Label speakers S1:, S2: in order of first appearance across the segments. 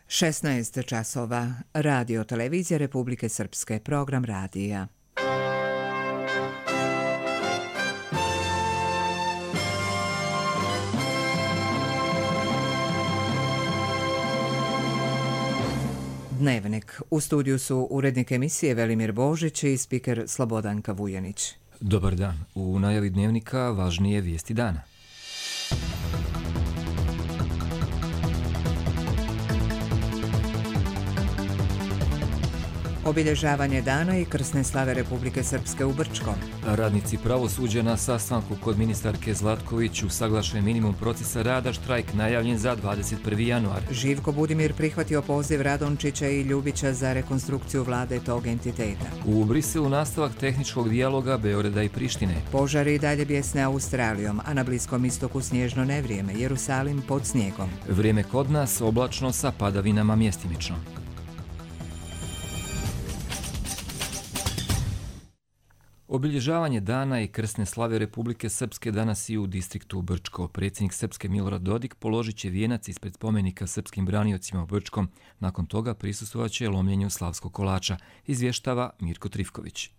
S1: 16 časova. Radio televizija Republike Srpske. Program radija. Dnevnik. U studiju su urednik emisije Velimir Božić i spiker Slobodanka Vujanić.
S2: Dobar dan. U najavi dnevnika važnije vijesti dana.
S1: Obilježavanje dana i krsne slave Republike Srpske u Brčkom.
S2: Radnici pravosuđa na sastanku kod ministarke Zlatković usaglašen minimum procesa rada, štrajk najavljen za 21. januar.
S1: Živko Budimir prihvatio poziv Radončića i Ljubića za rekonstrukciju vlade tog entiteta.
S2: U Briselu nastavak tehničkog dijaloga Beograda i Prištine.
S1: Požari i dalje bjesne Australijom, a na Bliskom istoku snježno nevrijeme, Jerusalim pod snijegom.
S2: Vrijeme kod nas oblačno sa padavinama mjestimično. Obilježavanje dana i krsne slave Republike Srpske danas i u distriktu Brčko. Predsjednik Srpske Milorad Dodik položit će vijenac ispred spomenika srpskim braniocima u Brčkom. Nakon toga prisustvovat će lomljenju slavskog kolača, izvještava Mirko Trifković.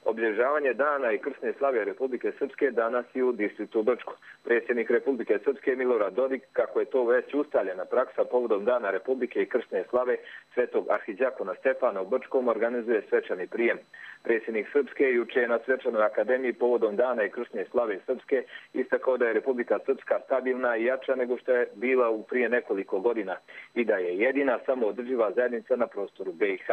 S3: Obilježavanje dana i krsne slave Republike Srpske danas i u distriktu Brčko. Predsjednik Republike Srpske Milorad Dodik, kako je to već ustaljena praksa povodom dana Republike i krsne slave svetog arhidjakona Stefana u Brčkom, organizuje svečani prijem. Predsjednik Srpske juče je na svečanoj akademiji povodom dana i krsne slave Srpske istakao da je Republika Srpska stabilna i jača nego što je bila u prije nekoliko godina i da je jedina samoodrživa zajednica na prostoru BiH.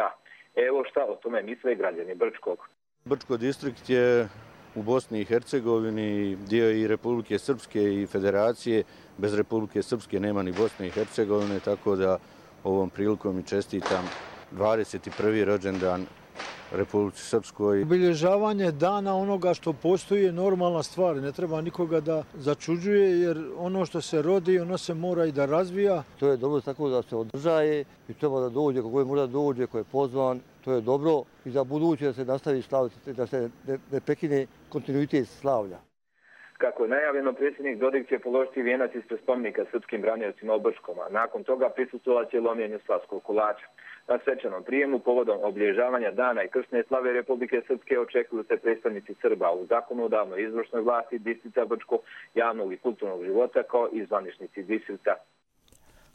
S3: Evo šta o tome misle građani Brčkog.
S4: Brčko distrikt je u Bosni i Hercegovini, dio i Republike Srpske i Federacije. Bez Republike Srpske nema ni Bosne i Hercegovine, tako da ovom prilikom i čestitam 21. rođendan Republici Srpskoj.
S5: Obilježavanje dana onoga što postoji je normalna stvar. Ne treba nikoga da začuđuje, jer ono što se rodi, ono se mora i da razvija.
S6: To je dobro tako da se održaje i treba da dođe, kako je mora dođe, ko je pozvan. To je dobro i za buduće da se nastavi slaviti, da se ne prekine kontinuitet slavlja.
S3: Kako je najavljeno, predsjednik Dodik će položiti vijenac ispred spomenika srpskim braniocima u Brčkom, a nakon toga prisustvovat će lomljenju slavskog kolača. Na svečanom prijemu povodom obilježavanja dana i krsne slave Republike Srpske očekuju se predstavnici Srba u zakonodavnoj izvršnoj vlasti distrikta Brčko, javnog i kulturnog života kao i zvaničnici distrikta.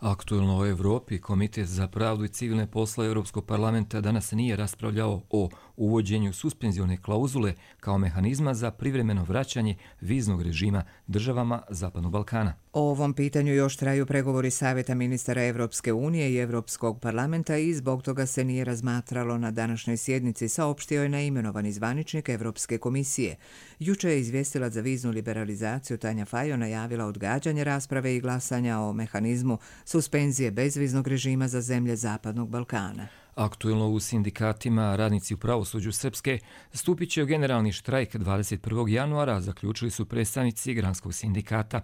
S2: Aktuelno o Evropi, Komitet za pravdu i civilne poslove Europskog parlamenta danas nije raspravljao o uvođenju suspenzione klauzule kao mehanizma za privremeno vraćanje viznog režima državama Zapadnog Balkana.
S1: O ovom pitanju još traju pregovori Savjeta ministara Evropske unije i Europskog parlamenta i zbog toga se nije razmatralo na današnjoj sjednici, saopštio je neimenovani zvaničnik Evropske komisije. Juče je izvjestilac za viznu liberalizaciju Tanja Fajon najavila odgađanje rasprave i glasanja o mehanizmu suspenzije bezviznog režima za zemlje Zapadnog Balkana.
S2: Aktuelno u sindikatima, radnici u pravosuđu Srpske stupit će u generalni štrajk 21. januara, zaključili su predstavnici Granskog sindikata.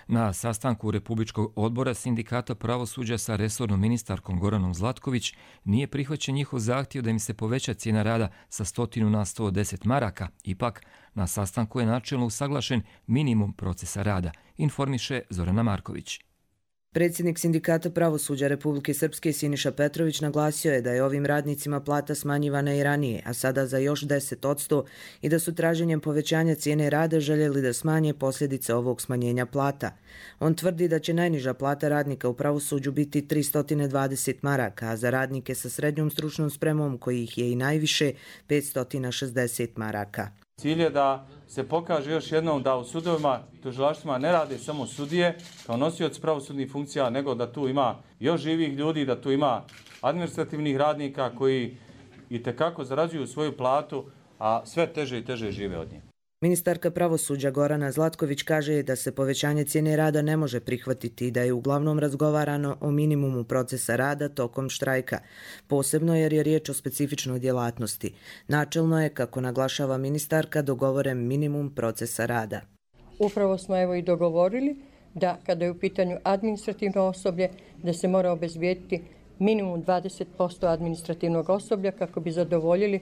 S2: Na sastanku Republičkog odbora sindikata pravosuđa sa resornom ministarkom Goranom Zlatković nije prihvaćen njihov zahtjev da im se poveća cijena rada sa 100 na 110 maraka. Ipak, na sastanku je načelno usaglašen minimum procesa rada, informiše Zorana Marković.
S7: Predsjednik sindikata pravosuđa Republike Srpske Siniša Petrović naglasio je da je ovim radnicima plata smanjivana i ranije, a sada za još 10% i da su traženjem povećanja cijene rada željeli da smanje posljedice ovog smanjenja plata. On tvrdi da će najniža plata radnika u pravosuđu biti 320 maraka, a za radnike sa srednjom stručnom spremom, kojih je i najviše, 560 maraka.
S8: Cilj je da se pokaže još jednom da u sudovima, tužilaštvima ne rade samo sudije kao nosioci pravosudnih funkcija, nego da tu ima još živih ljudi, da tu ima administrativnih radnika koji itekako zarađuju svoju platu, a sve teže i teže žive od nje.
S7: Ministarka pravosuđa Gorana Zlatković kaže da se povećanje cijene rada ne može prihvatiti i da je uglavnom razgovarano o minimumu procesa rada tokom štrajka, posebno jer je riječ o specifičnoj djelatnosti. Načelno je, kako naglašava ministarka, dogovoren minimum procesa rada.
S9: Upravo smo evo i dogovorili da kada je u pitanju administrativno osoblje, da se mora obezbijediti minimum 20% administrativnog osoblja kako bi zadovoljili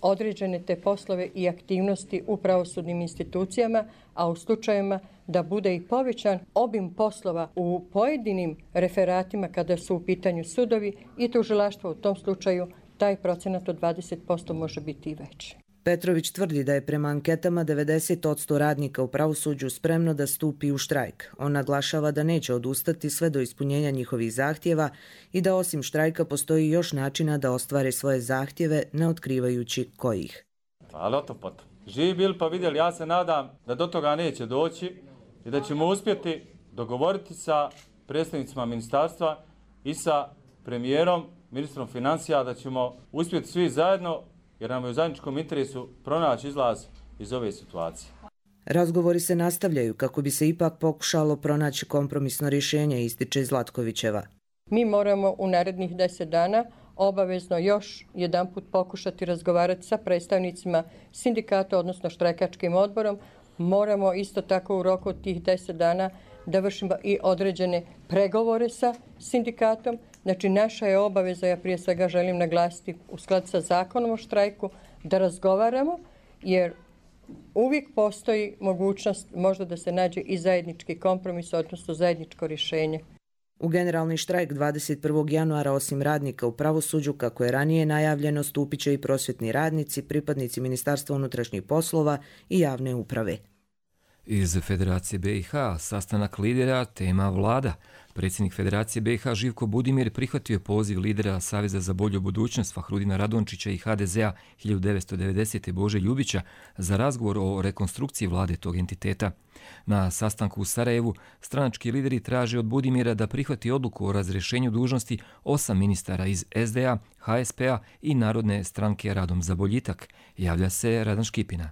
S9: određene te poslove i aktivnosti u pravosudnim institucijama, a u slučajevima da bude i povećan obim poslova u pojedinim referatima kada su u pitanju sudovi i tužilaštvo, u tom slučaju taj procenat od 20% može biti i veći.
S7: Petrović tvrdi da je prema anketama 90% radnika u pravosuđu spremno da stupi u štrajk. On naglašava da neće odustati sve do ispunjenja njihovih zahtjeva i da osim štrajka postoji još načina da ostvare svoje zahtjeve, ne otkrivajući kojih.
S8: Ali o to potom. Živi bili pa vidjeli, ja se nadam da do toga neće doći i da ćemo uspjeti dogovoriti sa predstavnicima ministarstva i sa premijerom, ministrom financija, da ćemo uspjeti svi zajedno, jer nam je u zajedničkom interesu pronaći izlaz iz ove situacije.
S7: Razgovori se nastavljaju kako bi se ipak pokušalo pronaći kompromisno rješenje, ističe Zlatkovićeva.
S9: Mi moramo u narednih 10 dana obavezno još jedanput pokušati razgovarati sa predstavnicima sindikata, odnosno štrajkačkim odborom. Moramo isto tako u roku od tih 10 dana da vršimo i određene pregovore sa sindikatom. Znači, naša je obaveza, ja prije svega želim naglasiti u skladu sa zakonom o štrajku, da razgovaramo, jer uvijek postoji mogućnost možda da se nađe i zajednički kompromis, odnosno zajedničko rješenje.
S7: U generalni štrajk 21. januara osim radnika u pravosuđu, kako je ranije najavljeno, stupit će i prosvjetni radnici, pripadnici Ministarstva unutrašnjih poslova i javne uprave.
S2: Iz Federacije BiH sastanak lidera, tema vlada. Predsjednik Federacije BiH Živko Budimir prihvatio poziv lidera Saveza za bolju budućnost Fahrudina Radončića i HDZ-a 1990. Bože Ljubića za razgovor o rekonstrukciji vlade tog entiteta. Na sastanku u Sarajevu stranački lideri traže od Budimira da prihvati odluku o razrješenju dužnosti 8 ministara iz SDA, HSP-a i Narodne stranke Radom za boljitak. Javlja se Radan Škipina.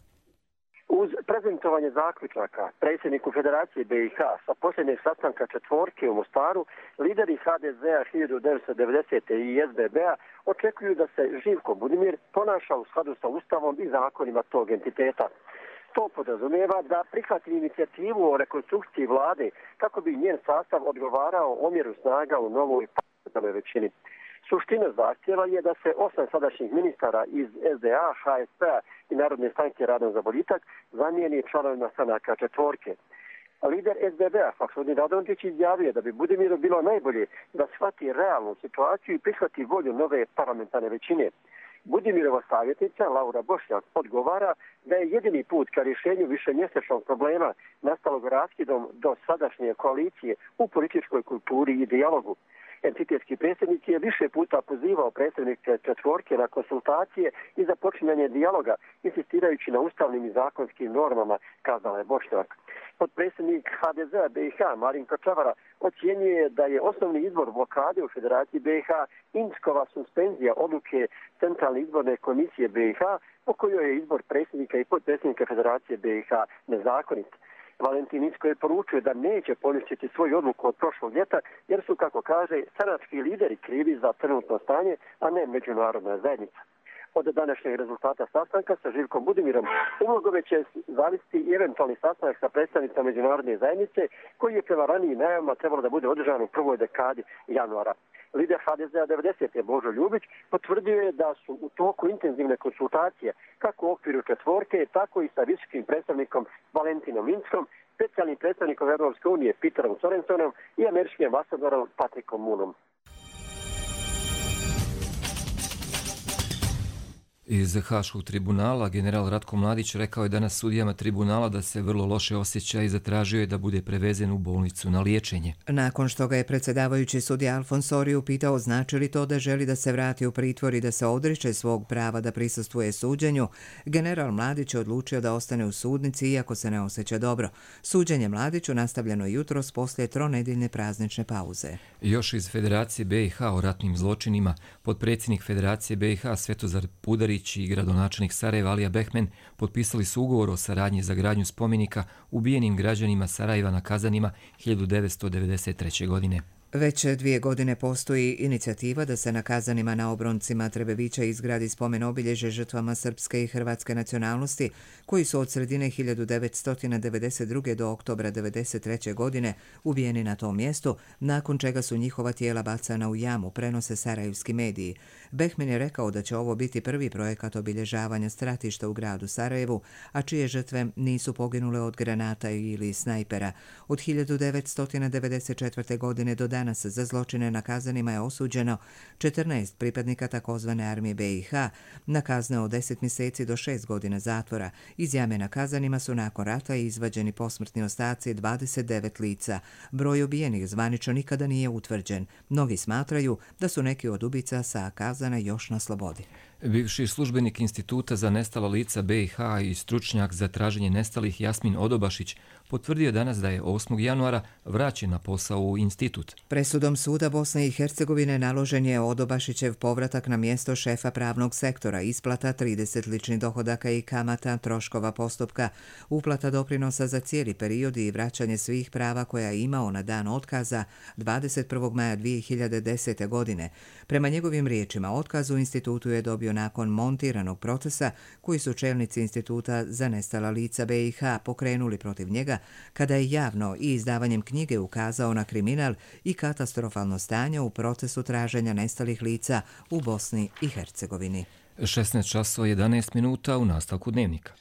S10: Uz prezentovanje zaključaka predsjedniku Federacije BiH sa posljednjeg sastanka četvorke u Mostaru, lideri HDZ-a 1990. i SBB-a očekuju da se Živko Budimir ponaša u skladu sa Ustavom i zakonima tog entiteta. To podrazumijeva da prihvati inicijativu o rekonstrukciji vlade kako bi njen sastav odgovarao omjeru snaga u novoj parlamentarnoj većini. Suština zahtjeva je da se 8 sadašnjih ministara iz SDA, HSP-a i Narodne stranke Radom za boljitak zamijeni članovima stranaka četvorke. Lider SBB-a Fahrudin Radončić izjavio da bi Budimiru bilo najbolje da shvati realnu situaciju i prihvati volju nove parlamentarne većine. Budimirova savjetnica Laura Bošnjak odgovara da je jedini put ka rješenju višemjesečnog problema nastalog raskidom do sadašnje koalicije u političkoj kulturi i dijalogu. Entitetski predsjednik je više puta pozivao predstavnike četvorke na konsultacije i započinjanje dijaloga, insistirajući na ustavnim i zakonskim normama, kazala je Bošnjak. Potpredsjednik HDZ-a BiH Marinko Čavara ocjenjuje da je osnovni izbor blokade u Federaciji BiH Inckova suspenzija odluke Centralne izborne komisije BiH, po kojoj je izbor predsjednika i potpredsjednika Federacije BiH nezakonit. Valentin Incko je poručio da neće poništiti svoju odluku od prošlog ljeta, jer su, kako kaže, stranački lideri krivi za trenutno stanje, a ne međunarodna zajednica. Od današnjeg rezultata sastanka sa Živkom Budimirom umnogome će zavisiti i eventualni sastanak sa predstavnicama međunarodne zajednice, koji je prema ranijim najavama trebalo da bude održan u prvoj dekadi januara. Lider HDZ-a 90. Božo Ljubić potvrdio je da su u toku intenzivne konsultacije kako u okviru četvorke, tako i sa visokim predstavnikom Valentinom Inckom, specijalnim predstavnikom Europske unije Peterom Sorensonom i američkim ambasadorom Patrickom Moonom.
S2: Iz Haškog tribunala general Ratko Mladić rekao je danas sudijama tribunala da se vrlo loše osjeća i zatražio je da bude prevezen u bolnicu na liječenje.
S1: Nakon što ga je predsjedavajući sudija Alfonsori upitao znači li to da želi da se vrati u pritvor i da se odriče svog prava da prisustvuje suđenju, general Mladić je odlučio da ostane u sudnici iako se ne osjeća dobro. Suđenje Mladiću nastavljeno jutros poslije tronedjeljne praznične pauze.
S2: Još iz Federacije BiH o ratnim zločinima, potpredsjednik Federacije BiH Svetozar Pudarić i gradonačelnik Sarajeva Alija Behmen potpisali su ugovor o saradnji za gradnju spomenika ubijenim građanima Sarajeva na Kazanima 1993. godine.
S1: Već 2 godine postoji inicijativa da se na Kazanima na obroncima Trebevića izgradi spomen obilježje žrtvama srpske i hrvatske nacionalnosti koji su od sredine 1992. do oktobra 1993. godine ubijeni na tom mjestu, nakon čega su njihova tijela bacana u jamu, prenose sarajevski mediji. Behmin je rekao da će ovo biti prvi projekat obilježavanja stratišta u gradu Sarajevu, a čije žrtve nisu poginule od granata ili snajpera. Od 1994. godine do danas za zločine na Kazanima je osuđeno 14 pripadnika takozvane armije BiH na kazne od 10 mjeseci do 6 godina zatvora. Iz jame na Kazanima su nakon rata izvađeni posmrtni ostaci 29 lica. Broj ubijenih zvanično nikada nije utvrđen. Mnogi smatraju da su neki od ubica sa Kazana još na slobodi.
S2: Bivši službenik Instituta za nestala lica BiH i stručnjak za traženje nestalih Jasmin Odobašić potvrdio danas da je 8. januara vraćen na posao u institut.
S1: Presudom suda Bosne i Hercegovine naložen je Odobašićev povratak na mjesto šefa pravnog sektora, isplata 30 ličnih dohodaka i kamata, troškova postupka, uplata doprinosa za cijeli period i vraćanje svih prava koja je imao na dan otkaza 21. maja 2010. godine. Prema njegovim riječima, otkaz u institutu je dobio nakon montiranog procesa koji su čelnici Instituta za nestala lica BiH pokrenuli protiv njega kada je javno i izdavanjem knjige ukazao na kriminal i katastrofalno stanje u procesu traženja nestalih lica u Bosni i Hercegovini.
S2: 16:11 u nastavku dnevnika.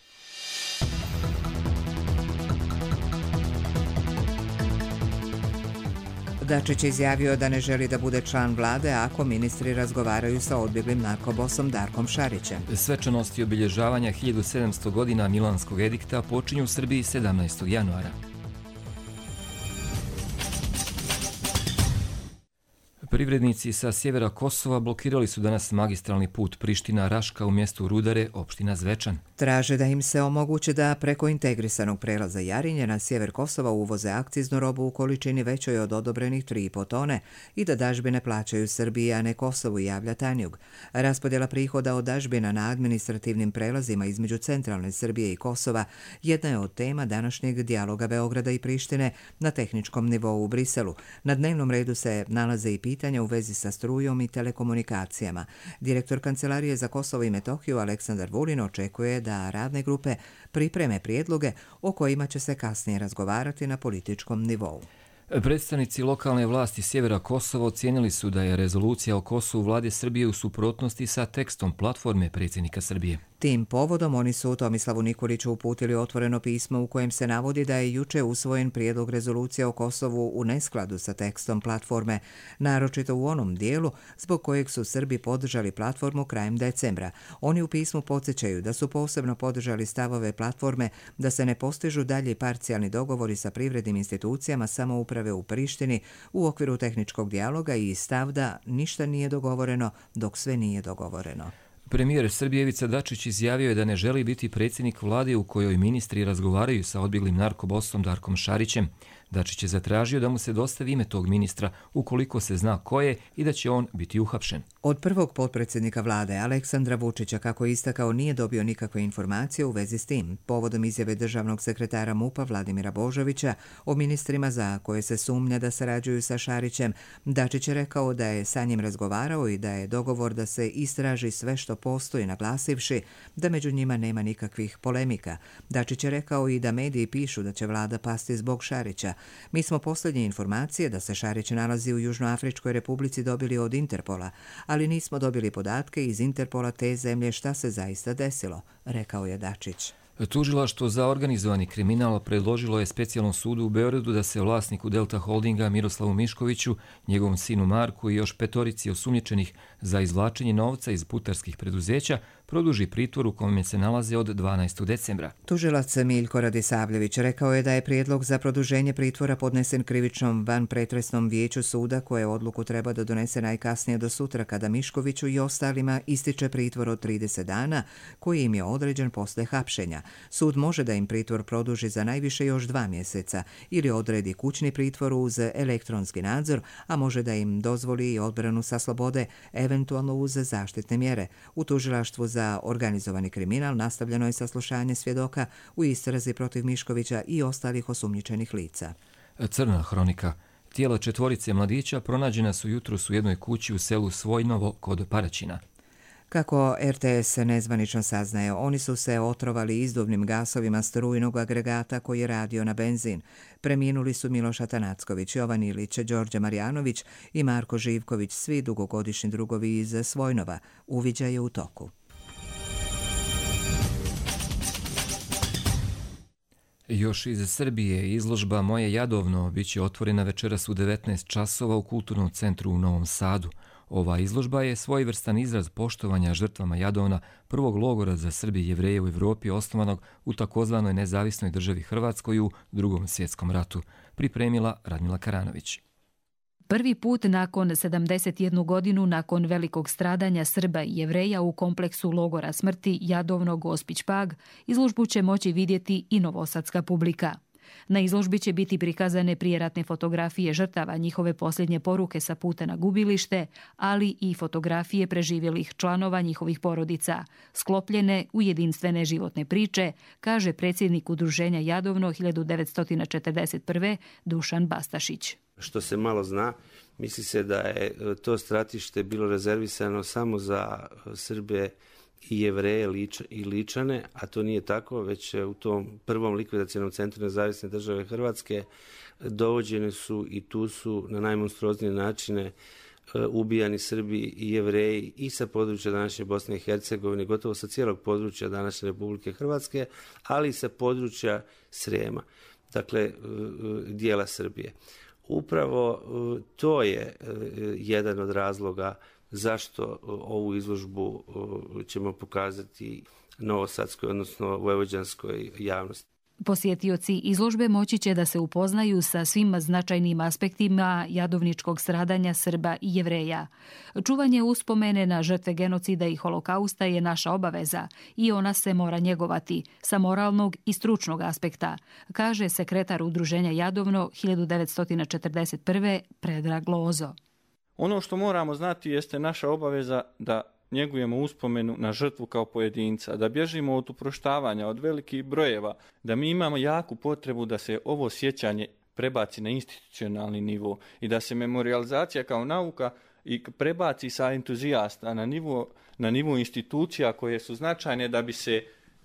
S1: Dačić je izjavio da ne želi da bude član vlade ako ministri razgovaraju sa odbjeglim narkobosom Darkom Šarićem.
S2: Svečanosti obilježavanja 1700 godina Milanskog edikta počinju u Srbiji 17. januara. Privrednici sa sjevera Kosova blokirali su danas magistralni put Priština-Raška u mjestu Rudare, opština Zvečan.
S1: Traže da im se omogući da preko integrisanog prelaza Jarinje na sjever Kosova uvoze akciznu robu u količini većoj od odobrenih 3,5 tone i da dažbine plaćaju Srbiji, a ne Kosovu, javlja Tanjug. Raspodjela prihoda od dažbina na administrativnim prelazima između centralne Srbije i Kosova jedna je od tema današnjeg dijaloga Beograda i Prištine na tehničkom nivou u Briselu. Na dnevnom redu se nalaze i pitanja u vezi sa strujom i telekomunikacijama. Direktor Kancelarije za Kosovo i Metohiju Aleksandar Vulin očekuje da radne grupe pripreme prijedloge o kojima će se kasnije razgovarati na političkom nivou.
S2: Predstavnici lokalne vlasti sjevera Kosova ocijenili su da je rezolucija o Kosovu vlade Srbije u suprotnosti sa tekstom platforme predsjednika Srbije.
S1: Tim povodom oni su Tomislavu Nikoliću uputili otvoreno pismo u kojem se navodi da je juče usvojen prijedlog rezolucije o Kosovu u neskladu sa tekstom platforme, naročito u onom dijelu zbog kojeg su Srbi podržali platformu krajem decembra. Oni u pismu podsjećaju da su posebno podržali stavove platforme da se ne postižu dalje parcijalni dogovori sa privrednim institucijama samouprave u Prištini u okviru tehničkog dijaloga i stav da ništa nije dogovoreno dok sve nije dogovoreno.
S2: Premijer Srbije Ivica Dačić izjavio je da ne želi biti predsjednik vlade u kojoj ministri razgovaraju sa odbjeglim narkobosom Darkom Šarićem. Dačić je zatražio da mu se dostavi ime tog ministra ukoliko se zna ko je i da će on biti uhapšen.
S1: Od prvog potpredsjednika vlade Aleksandra Vučića, kako je istakao, nije dobio nikakve informacije u vezi s tim. Povodom izjave državnog sekretara MUP-a Vladimira Božovića o ministrima za koje se sumnja da sarađuju sa Šarićem, Dačić je rekao da je sa njim razgovarao i da je dogovor da se istraži sve što postoji, naglasivši da među njima nema nikakvih polemika. Dačić je rekao i da mediji pišu da će vlada pasti zbog Šarića. Mi smo posljednje informacije da se Šarić nalazi u Južnoafričkoj republici dobili od Interpola, ali nismo dobili podatke iz Interpola te zemlje šta se zaista desilo, rekao je Dačić.
S2: Tužilaštvo za organizovani kriminal predložilo je specijalnom sudu u Beogradu da se vlasniku Delta Holdinga Miroslavu Miškoviću, njegovom sinu Marku i još 5 osumnjičenih za izvlačenje novca iz putarskih preduzeća produži pritvor u kome se nalaze od 12. decembra.
S1: Tužilac Miljko Radisavljević rekao je da je prijedlog za produženje pritvora podnesen krivičnom vanpretresnom vijeću suda koje odluku treba da donese najkasnije do sutra kada Miškoviću i ostalima ističe pritvor od 30 dana koji im je određen posle hapšenja. Sud može da im pritvor produži za najviše još 2 mjeseca ili odredi kućni pritvor uz elektronski nadzor, a može da im dozvoli i odbranu sa slobode, eventualno uz zaštitne mjere. U tužilaštvu za organizovani kriminal nastavljeno je saslušanje svjedoka u istrazi protiv Miškovića i ostalih osumnjičenih lica.
S2: Crna hronika. Tijela 4 mladića pronađena su jutros u jednoj kući u selu Svojnovo kod Paraćina.
S1: Kako RTS nezvanično saznaje, oni su se otrovali izduvnim gasovima strujnog agregata koji je radio na benzin. Preminuli su Miloš Atanacković, Jovan Ilić, Đorđe Marjanović i Marko Živković, svi dugogodišnji drugovi iz Svojnova. Uviđaj je u toku.
S2: Još iz Srbije izložba Moje Jadovno biće otvorena večeras u 19 časova u Kulturnom centru u Novom Sadu. Ova izložba je svojevrstan izraz poštovanja žrtvama Jadovna, prvog logora za Srbe i Jevreje u Evropi osnovanog u takozvanoj nezavisnoj državi Hrvatskoj u Drugom svjetskom ratu, pripremila Radmila Karanović.
S11: Prvi put nakon 71 godinu nakon velikog stradanja Srba i Jevreja u kompleksu logora smrti Jadovno Gospić Pag, izložbu će moći vidjeti i novosadska publika. Na izložbi će biti prikazane prijeratne fotografije žrtava, njihove posljednje poruke sa puta na gubilište, ali i fotografije preživjelih članova njihovih porodica, sklopljene u jedinstvene životne priče, kaže predsjednik Udruženja Jadovno 1941. Dušan Bastašić.
S12: Što se malo zna, misli se da je to stratište bilo rezervisano samo za Srbe i Jevreje i Ličane, a to nije tako, već u tom prvom likvidacionom centru nezavisne države Hrvatske dovođeni su i tu su na najmonstruoznije načine ubijani Srbi i Jevreji i sa područja današnje Bosne i Hercegovine, gotovo sa cijelog područja današnje Republike Hrvatske, ali i sa područja Srijema, dakle dijela Srbije. Upravo to je jedan od razloga zašto ovu izložbu ćemo pokazati novosadskoj, odnosno vojvođanskoj javnosti.
S11: Posjetioci izložbe moći će da se upoznaju sa svim značajnim aspektima jadovničkog stradanja Srba i Jevreja. Čuvanje uspomene na žrtve genocida i holokausta je naša obaveza i ona se mora njegovati sa moralnog i stručnog aspekta, kaže sekretar Udruženja Jadovno 1941. Predrag Lozo.
S13: Ono što moramo znati jeste naša obaveza da njegujemo uspomenu na žrtvu kao pojedinca, da bježimo od uproštavanja, od velikih brojeva, da mi imamo jaku potrebu da se ovo sjećanje prebaci na institucionalni nivo i da se memorializacija kao nauka i prebaci sa entuzijasta na nivo institucija koje su značajne da bi se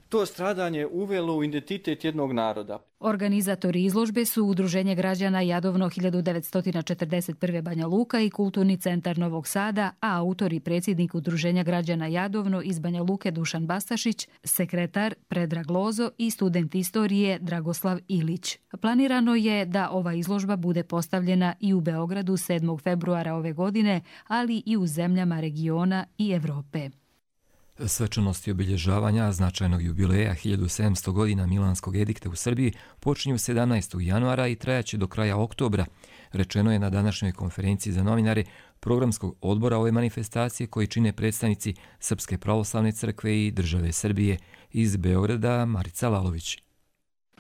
S13: to stradanje uvelo u identitet jednog naroda.
S11: Organizatori izložbe su Udruženje građana Jadovno 1941. Banja Luka i Kulturni centar Novog Sada, a autor i predsjednik Udruženja građana Jadovno iz Banja Luke Dušan Bastašić, sekretar Predrag Lozo i student istorije Dragoslav Ilić. Planirano je da ova izložba bude postavljena i u Beogradu 7. februara ove godine, ali i u zemljama regiona i Evrope.
S2: Svečanosti obilježavanja značajnog jubileja 1700 godina Milanskog edikta u Srbiji počinju 17. januara i trajaće do kraja oktobra, rečeno je na današnjoj konferenciji za novinare programskog odbora ove manifestacije koji čine predstavnici Srpske pravoslavne crkve i države Srbije. Iz Beograda Marica Lalović.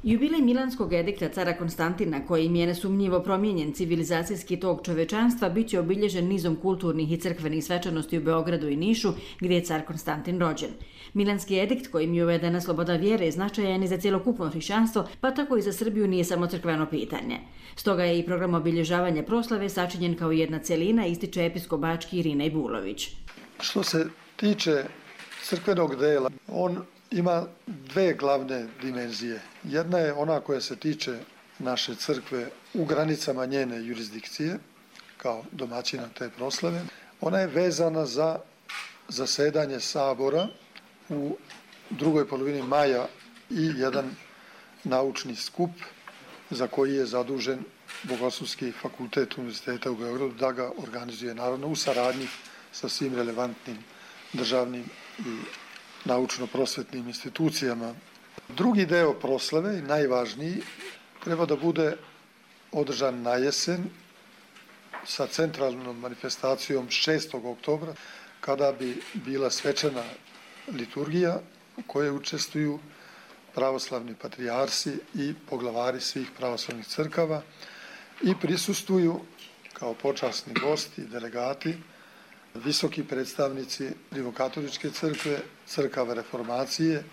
S14: Jubilej Milanskog edikta cara Konstantina, kojim je nesumnjivo promijenjen civilizacijski tok čovečanstva, bit će obilježen nizom kulturnih i crkvenih svečanosti u Beogradu i Nišu, gdje je car Konstantin rođen. Milanski edikt, kojim je uvedena sloboda vjere, značajan i za cjelokupno hrišćanstvo, pa tako i za Srbiju nije samo crkveno pitanje. Stoga je i program obilježavanja proslave sačinjen kao jedna celina, ističe episkop bački Irinej Bulović.
S15: Što se tiče crkvenog dela, on ima dve glavne dimenzije. Jedna je ona koja se tiče naše crkve u granicama njene jurisdikcije, kao domaćina te proslave. Ona je vezana za zasedanje sabora u drugoj polovini maja i jedan naučni skup za koji je zadužen Bogoslovski fakultet Univerziteta u Beogradu da ga organizuje, naravno u saradnji sa svim relevantnim državnim i naučno-prosvetnim institucijama. Drugi deo proslave, najvažniji, treba da bude održan na jesen sa centralnom manifestacijom 6. oktobra, kada bi bila svečana liturgija u kojoj učestvuju pravoslavni patrijarsi i poglavari svih pravoslavnih crkava i prisustvuju kao počasni gosti i delegati visoki predstavnici Rimokatoličke crkve, crkava reformacije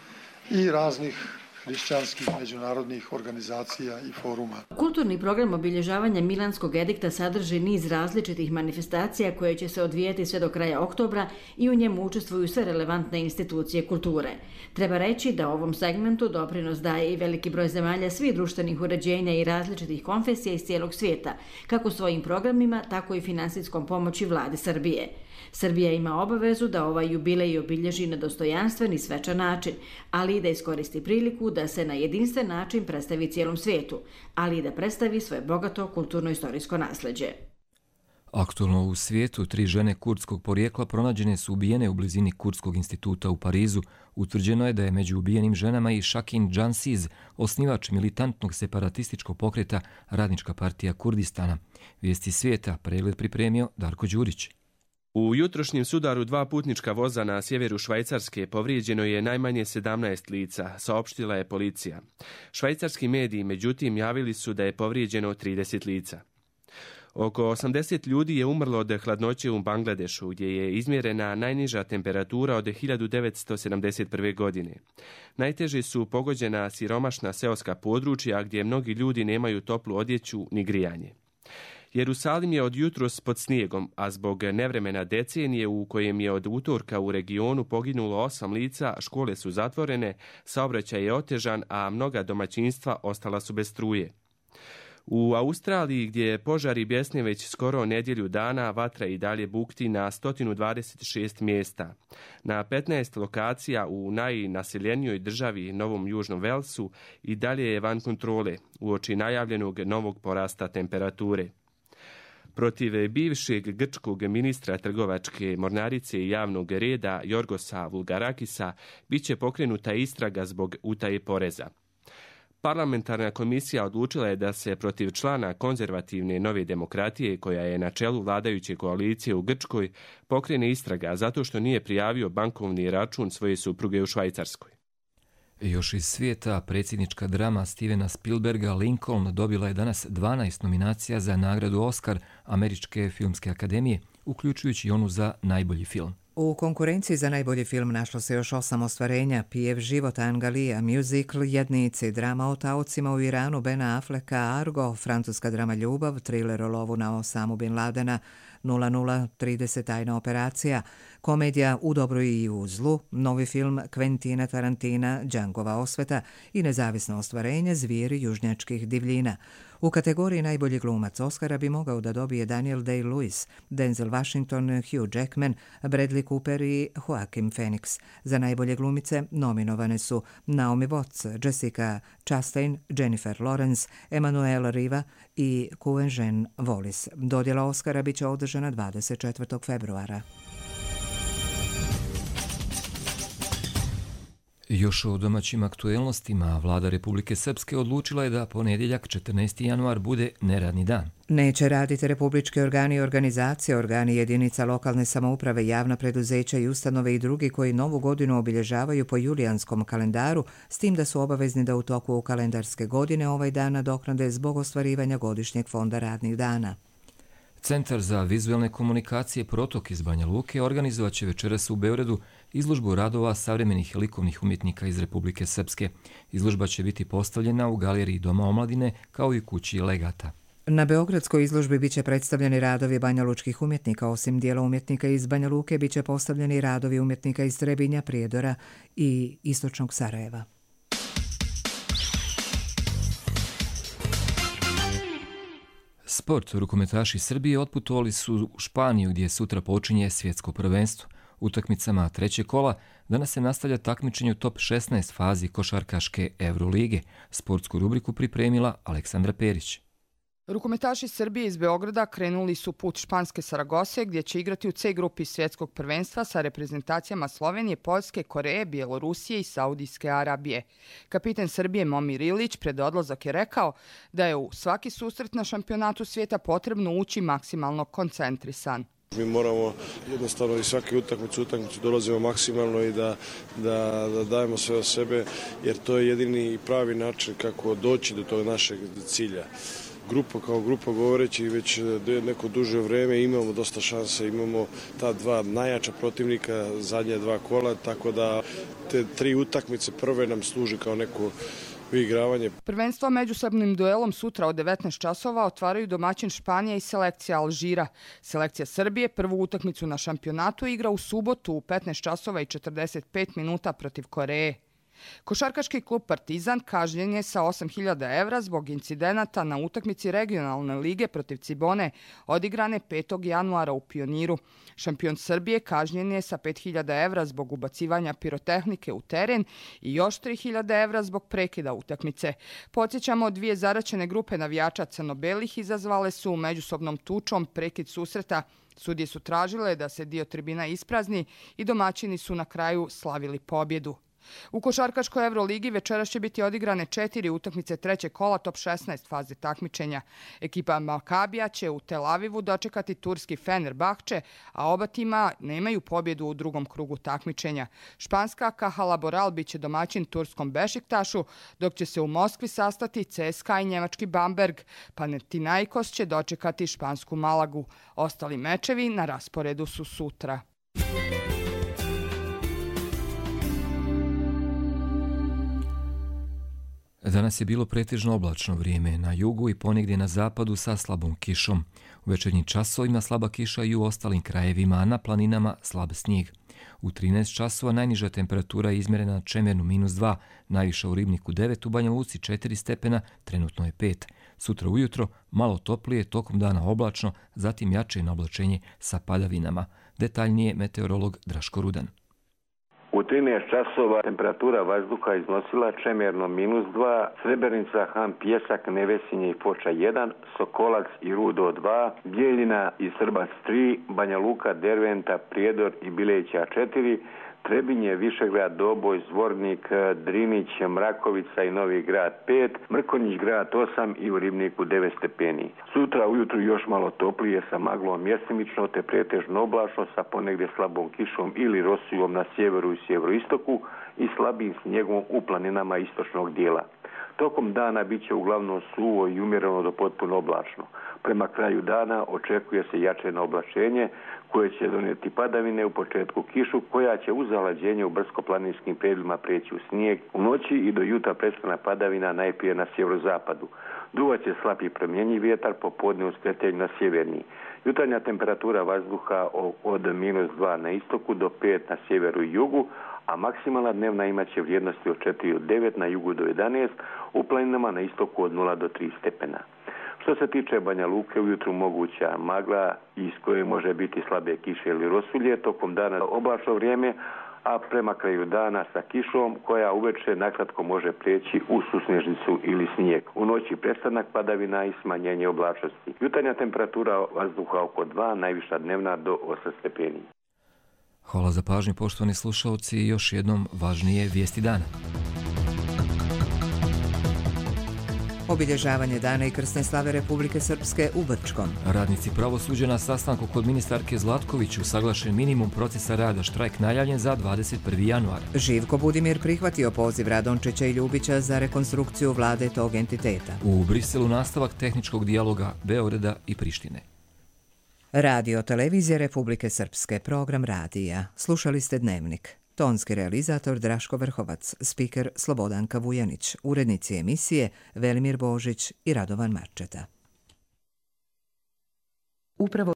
S15: i raznih hrišćanskih međunarodnih organizacija i foruma.
S14: Kulturni program obilježavanja Milanskog edikta sadrži niz različitih manifestacija koje će se odvijati sve do kraja oktobra i u njemu učestvuju sve relevantne institucije kulture. Treba reći da ovom segmentu doprinos daje i veliki broj zemalja svih društvenih uređenja i različitih konfesija iz cijelog svijeta, kako svojim programima, tako i finansijskom pomoći vladi Srbije. Srbija ima obavezu da ovaj jubilej obilježi na dostojanstven i svečan način, ali i da iskoristi priliku da se na jedinstven način predstavi cijelom svijetu, ali i da predstavi svoje bogato kulturno-istorijsko nasljeđe.
S2: Aktualno u svijetu 3 žene kurdskog porijekla pronađene su ubijene u blizini Kurdskog instituta u Parizu. Utvrđeno je da je među ubijenim ženama i Shakin Jansiz, osnivač militantnog separatističkog pokreta Radnička partija Kurdistana. Vijesti svijeta pregled pripremio Darko Đurić.
S16: U jutrošnjem sudaru 2 putnička voza na sjeveru Švajcarske povrijeđeno je najmanje 17 lica, saopštila je policija. Švajcarski mediji, međutim, javili su da je povrijeđeno 30 lica. Oko 80 ljudi je umrlo od hladnoće u Bangladešu, gdje je izmjerena najniža temperatura od 1971. godine. Najteže su pogođena siromašna seoska područja, gdje mnogi ljudi nemaju toplu odjeću ni grijanje. Jerusalim je od jutros pod snijegom, a zbog nevremena decenije u kojem je od utorka u regionu poginulo 8 lica, škole su zatvorene, saobraćaj je otežan, a mnoga domaćinstva ostala su bez struje. U Australiji, gdje požari bjesne već skoro nedjelju dana, vatra i dalje bukti na 126 mjesta. Na 15 lokacija u najnaseljenijoj državi Novom Južnom Velsu i dalje je van kontrole, uoči najavljenog novog porasta temperature. Protiv bivšeg grčkog ministra trgovačke mornarice i javnog reda Jorgosa Vulgarakisa bit će pokrenuta istraga zbog utaje poreza. Parlamentarna komisija odlučila je da se protiv člana konzervativne Nove demokratije, koja je na čelu vladajuće koalicije u Grčkoj, pokrene istraga zato što nije prijavio bankovni račun svoje supruge u Švajcarskoj.
S2: Još iz svijeta, predsjednička drama Stevena Spielberga Lincoln dobila je danas 12 nominacija za nagradu Oscar Američke filmske akademije, uključujući i onu za najbolji film.
S1: U konkurenciji za najbolji film našlo se još 8 ostvarenja: Pijev život Angalija, Musical Jednici, drama o taocima u Iranu Bena Afflecka Argo, francuska drama Ljubav, thriller o lovu na Osamu Bin Ladena 0030 tajna operacija, komedija U dobru i u zlu, novi film Quentina Tarantina Džangova osveta i nezavisno ostvarenje Zvijeri južnjačkih divljina. U kategoriji najbolji glumac Oscara bi mogao da dobije Daniel Day-Lewis, Denzel Washington, Hugh Jackman, Bradley Cooper i Joaquin Phoenix. Za najbolje glumice nominovane su Naomi Watts, Jessica Chastain, Jennifer Lawrence, Emmanuel Riva i Quvenzhané Wallis. Dodjela Oscara biće održana 24. februara.
S2: Još o domaćim aktuelnostima, vlada Republike Srpske odlučila je da ponedjeljak 14. januar bude neradni dan.
S1: Neće raditi republički organi i organizacije, organi jedinica lokalne samouprave, javna preduzeća i ustanove i drugi koji novu godinu obilježavaju po julijanskom kalendaru, s tim da su obavezni da u toku kalendarske godine ovaj dan nadoknade zbog ostvarivanja godišnjeg fonda radnih dana.
S2: Centar za vizualne komunikacije Protok iz Banja Luke organizovat će večeras u Beogradu izložbu radova savremenih likovnih umjetnika iz Republike Srpske. Izložba će biti postavljena u galeriji Doma omladine kao i kući Legata.
S1: Na beogradskoj izložbi biće predstavljeni radovi banjalučkih umjetnika, osim dijela umjetnika iz Banja Luke biće postavljeni radovi umjetnika iz Trebinja, Prijedora i istočnog Sarajeva.
S2: Sport. Rukometaši Srbije otputovali su u Španiju gdje sutra počinje svjetsko prvenstvo. Utakmicama trećeg kola danas se nastavlja takmičenje u top 16 fazi košarkaške Eurolige. Sportsku rubriku pripremila Aleksandra Perić.
S17: Rukometaši Srbije iz Beograda krenuli su put španske Saragose gdje će igrati u C grupi svjetskog prvenstva sa reprezentacijama Slovenije, Poljske, Koreje, Bjelorusije i Saudijske Arabije. Kapitan Srbije Momir Ilić pred odlazak je rekao da je u svaki susret na šampionatu svijeta potrebno ući maksimalno koncentrisan.
S18: Mi moramo jednostavno i svaki utakmicu dolazimo maksimalno i da dajemo sve od sebe, jer to je jedini i pravi način kako doći do tog našeg cilja. kao grupa govoreći već neko duže vreme, imamo dosta šanse, imamo ta dva najjača protivnika, zadnje dva kola, tako da te 3 utakmice prve nam služi kao neko uigravanje.
S17: Prvenstvo međusobnim duelom sutra od 19 časova otvaraju domaćin Španija i selekcija Alžira. Selekcija Srbije prvu utakmicu na šampionatu igra u subotu u 15 časova i 45 minuta protiv Koreje. Košarkaški klub Partizan kažnjen je sa 8.000 evra zbog incidenata na utakmici regionalne lige protiv Cibone, odigrane 5. januara u Pioniru. Šampion Srbije kažnjen je sa 5.000 evra zbog ubacivanja pirotehnike u teren i još 3.000 evra zbog prekida utakmice. Podsjećamo, 2 zaraćene grupe navijača crno-belih izazvale su međusobnom tučom prekid susreta. Sudije su tražile da se dio tribina isprazni i domaćini su na kraju slavili pobjedu. U košarkaškoj Euroligi večeras će biti odigrane 4 utakmice trećeg kola top 16 faze takmičenja. Ekipa Makabija će u Tel Avivu dočekati turski Fenerbahče, a oba tima nemaju pobjedu u drugom krugu takmičenja. Španska Caja Laboral biće domaćin turskom Bešiktašu, dok će se u Moskvi sastati CSKA i njemački Bamberg. Panathinaikos će dočekati špansku Malagu. Ostali mečevi na rasporedu su sutra.
S2: Danas je bilo pretežno oblačno vrijeme na jugu i ponegdje na zapadu sa slabom kišom. U večernjim časovima slaba kiša i u ostalim krajevima, a na planinama slab snijeg. U 13 časova najniža temperatura je izmjerena na Čemernu -2, najviša u Ribniku 9, u Banja Luci 4 stepena, trenutno je 5. Sutra ujutro malo toplije, tokom dana oblačno, zatim jače na oblačenje sa padavinama. Detaljnije meteorolog Draško Rudan.
S19: U 13 časova temperatura vazduha iznosila Čemerno -2, Srebrenica, Han, Pjesak, Nevesinje i Foča 1, Sokolac i Rudo 2, Bijeljina i Srbac 3, Banja Luka, Derventa, Prijedor i Bileća 4, Trebinje, Višegrad, Doboj, Zvornik, Drinić, Mrakovica i Novi Grad 5, Mrkonjić grad 8 i u Ribniku 9 stepeni. Sutra ujutru još malo toplije sa maglom mjestimično te pretežno oblačno sa ponegdje slabom kišom ili rosijom na sjeveru i sjeveroistoku i slabim snijegom u planinama istočnog dijela. Tokom dana bit će uglavnom suvo i umjereno do potpuno oblačno. Prema kraju dana očekuje se jačeno oblačenje koje će donijeti padavine, u početku kišu koja će uz zalađenje u brdsko-planinskim predjelima prijeći u snijeg. U noći i do jutra prestane padavina najprije na sjeverozapadu. Duvat će slab i promjenjiv vjetar, popodne uz skretenju na sjeverni. Jutarnja temperatura vazduha od -2 na istoku do 5 na sjeveru i jugu, a maksimalna dnevna imaće vrijednosti od 4 do 9 na jugu do 11, u planinama na istoku od 0 do 3 stepena. Što se tiče Banja Luke, ujutru moguća magla iz koje može biti slabe kiše ili rosulje, tokom dana oblačno vrijeme, a prema kraju dana sa kišom koja uveče nakratko može prijeći u susnežnicu ili snijeg. U noći prestanak padavina i smanjenje oblačnosti. Jutarnja temperatura vazduha oko 2, najviša dnevna do 8 stepeni.
S2: Hvala za pažnju, poštovani slušalci, i još jednom važnije vijesti dana.
S1: Obilježavanje dana i krsne slave Republike Srpske u Brčkom.
S2: Radnici pravosuđa na sastanku kod ministarke Zlatković usaglašen minimum procesa rada, štrajk najavljen za 21. januar.
S1: Živko Budimir prihvatio poziv Radončića i Ljubića za rekonstrukciju vlade tog entiteta.
S2: U Briselu nastavak tehničkog dijaloga Beograda i Prištine.
S1: Radio Televizija Republike Srpske, program radija. Slušali ste Dnevnik. Tonski realizator Draško Vrhovac, spiker Slobodanka Vujanić, urednici emisije Velimir Božić i Radovan Marčeta. Upravo